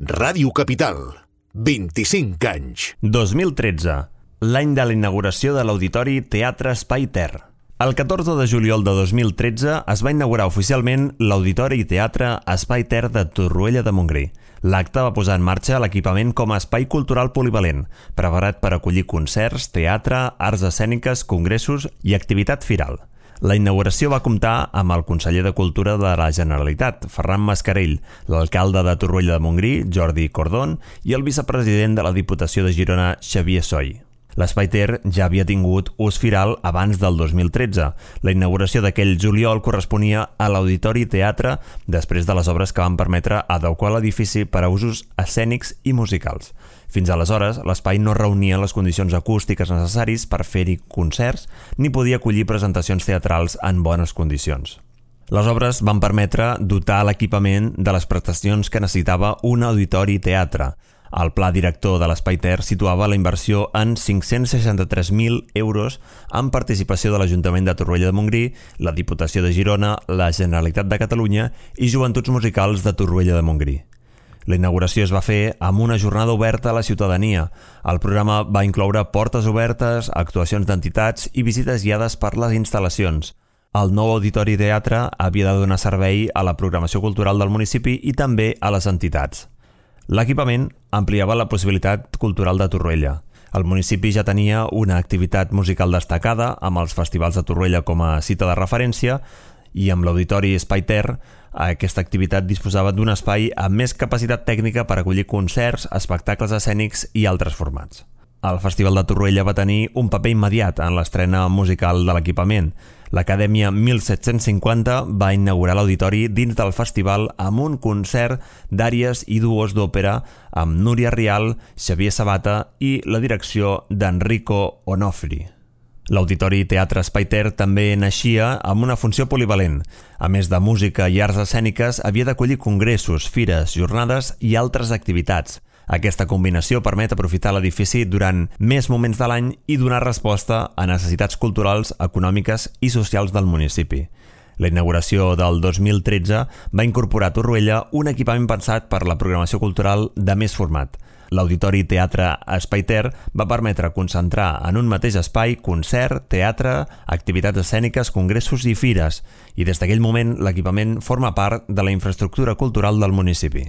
Ràdio Capital, 25 anys. 2013, l'any de la inauguració de l'Auditori Teatre Espai Ter. El 14 de juliol de 2013 es va inaugurar oficialment l'Auditori Teatre Espai Ter de Torroella de Montgrí. L'acte va posar en marxa l'equipament com a espai cultural polivalent, preparat per acollir concerts, teatre, arts escèniques, congressos i activitat firal. La inauguració va comptar amb el conseller de Cultura de la Generalitat, Ferran Mascarell, l'alcalde de Torroella de Montgrí, Jordi Cordón, i el vicepresident de la Diputació de Girona, Xavier Soy. L'Espai Ter ja havia tingut ús firal abans del 2013. La inauguració d'aquell juliol corresponia a l'Auditori Teatre després de les obres que van permetre adequar l'edifici per a usos escènics i musicals. Fins aleshores, l'espai no reunia les condicions acústiques necessaris per fer-hi concerts ni podia acollir presentacions teatrals en bones condicions. Les obres van permetre dotar l'equipament de les prestacions que necessitava un auditori teatre. El pla director de l'Espai Ter situava la inversió en 563.000 euros amb participació de l'Ajuntament de Torroella de Montgrí, la Diputació de Girona, la Generalitat de Catalunya i Joventuts Musicals de Torroella de Montgrí. La inauguració es va fer amb una jornada oberta a la ciutadania. El programa va incloure portes obertes, actuacions d'entitats i visites guiades per les instal·lacions. El nou Auditori Teatre havia de donar servei a la programació cultural del municipi i també a les entitats. L'equipament ampliava la possibilitat cultural de Torroella. El municipi ja tenia una activitat musical destacada amb els festivals de Torroella com a cita de referència i amb l'Auditori Espai Ter aquesta activitat disposava d'un espai amb més capacitat tècnica per acollir concerts, espectacles escènics i altres formats. El Festival de Torroella va tenir un paper immediat en l'estrena musical de l'equipament. L'Acadèmia 1750 va inaugurar l'auditori dins del festival amb un concert d'àries i duos d'òpera amb Núria Rial, Xavier Sabata i la direcció d'Enrico Onofri. L'Auditori Teatre Espai Ter també naixia amb una funció polivalent. A més de música i arts escèniques, havia d'acollir congressos, fires, jornades i altres activitats. Aquesta combinació permet aprofitar l'edifici durant més moments de l'any i donar resposta a necessitats culturals, econòmiques i socials del municipi. La inauguració del 2013 va incorporar a Torroella un equipament pensat per la programació cultural de més format. L'Auditori Teatre Espai Ter va permetre concentrar en un mateix espai concert, teatre, activitats escèniques, congressos i fires, i des d'aquell moment l'equipament forma part de la infraestructura cultural del municipi.